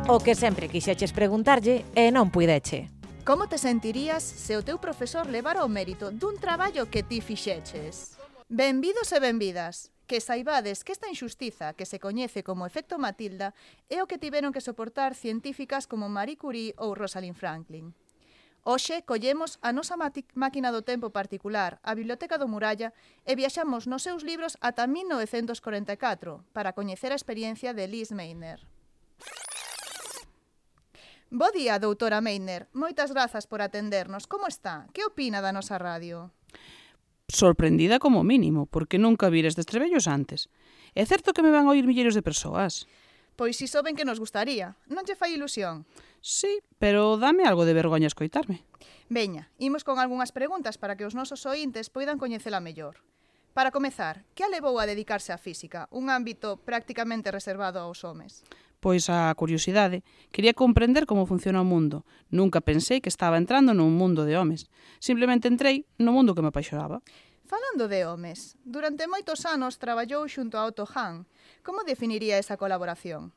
O que sempre quixeches preguntarlle e non puideche. Como te sentirías se o teu profesor levara o mérito dun traballo que ti fixeches? Benvidos e benvidas, que saibades que esta injustiza que se coñece como efecto Matilda é o que tiveron que soportar científicas como Marie Curie ou Rosalind Franklin. Hoxe collemos a nosa máquina do tempo particular, a Biblioteca do Muralla, e viaxamos nos seus libros ata 1944 para coñecer a experiencia de Liz Meitner. Bo día, doutora Meitner. Moitas grazas por atendernos. Como está? Que opina da nosa radio? Sorprendida como mínimo, porque nunca vira estes trebellos antes. É certo que me van a oír milleiros de persoas? Pois iso ben que nos gustaría. Non lle fai ilusión? Sí, pero dame algo de vergoña escoitarme. Veña, imos con algunhas preguntas para que os nosos oíntes poidan coñecela mellor. Para comezar, que a levou a dedicarse á física, un ámbito prácticamente reservado aos homes? Pois a curiosidade. Quería comprender como funciona o mundo. Nunca pensei que estaba entrando nun mundo de homes. Simplemente entrei no mundo que me apaixonaba. Falando de homes, durante moitos anos traballou xunto a Otto Hahn. Como definiría esa colaboración?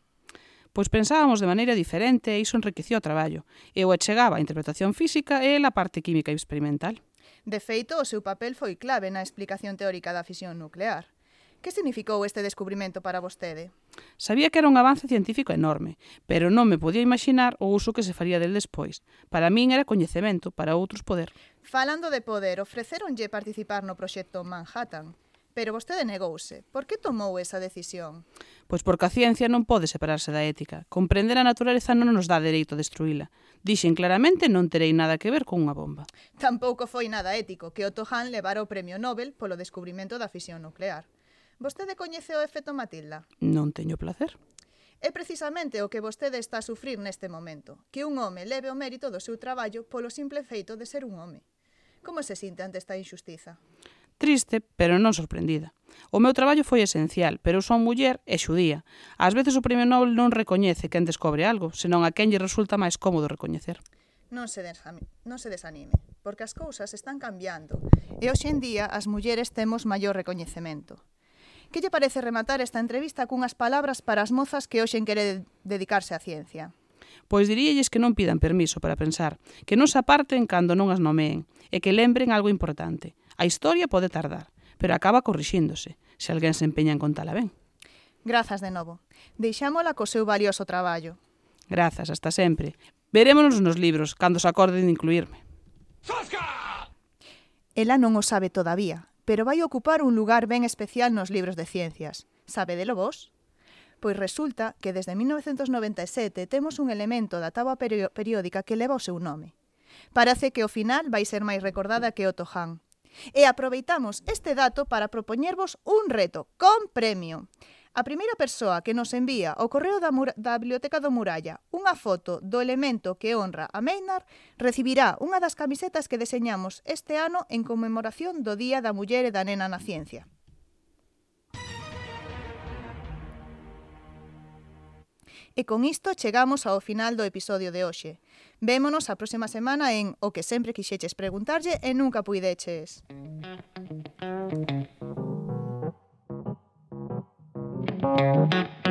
Pois pensábamos de maneira diferente e iso enriquecía o traballo. Eu achegaba a interpretación física e a parte química experimental. De feito, o seu papel foi clave na explicación teórica da fisión nuclear. Que significou este descubrimento para vostede? Sabía que era un avance científico enorme, pero non me podía imaginar o uso que se faría del despois. Para min era coñecemento, para outros poder. Falando de poder, ofrecéronlle participar no proxecto Manhattan, pero vostede negouse. Por que tomou esa decisión? Pois porque a ciencia non pode separarse da ética. Comprender a natureza non nos dá dereito a destruíla. Dixen claramente non terei nada que ver con unha bomba. Tampouco foi nada ético que Otto Hahn levara o premio Nobel polo descubrimento da fisión nuclear. Vostede coñece o efecto Matilda? Non teño placer. É precisamente o que vostede está a sufrir neste momento, que un home leve o mérito do seu traballo polo simple feito de ser un home. Como se sinte ante esta injustiza? Triste, pero non sorprendida. O meu traballo foi esencial, pero eu son muller e xudía. Ás veces o premio Nobel non recoñece quen descobre algo, senón a quen lle resulta máis cómodo recoñecer. Non se desanime, porque as cousas están cambiando, e hoxe en día as mulleres temos maior recoñecemento. Que lle parece rematar esta entrevista cunhas palabras para as mozas que hoxe quere dedicarse á ciencia? Pois diríalles que non pidan permiso para pensar, que non se aparten cando non as nomeen, e que lembren algo importante. A historia pode tardar, pero acaba corrixíndose, se alguén se empeña en contala ben. Grazas de novo. Deixámola co seu valioso traballo. Grazas, hasta sempre. Verémonos nos libros, cando se acorden de incluirme. Ela non o sabe todavía, pero vai ocupar un lugar ben especial nos libros de ciencias. Sabedelo vos? Pois resulta que desde 1997 temos un elemento da táboa periódica que leva o seu nome. Parece que ao final vai ser máis recordada que Otto Hahn. E aproveitamos este dato para propoñervos un reto con premio. A primeira persoa que nos envía ao correo da Biblioteca do Muralla unha foto do elemento que honra a Meitner recibirá unha das camisetas que deseñamos este ano en conmemoración do Día da Muller e da Nena na Ciencia. E con isto chegamos ao final do episodio de hoxe. Vémonos a próxima semana en O que sempre quixeches preguntarlle e nunca puideches. Thank you.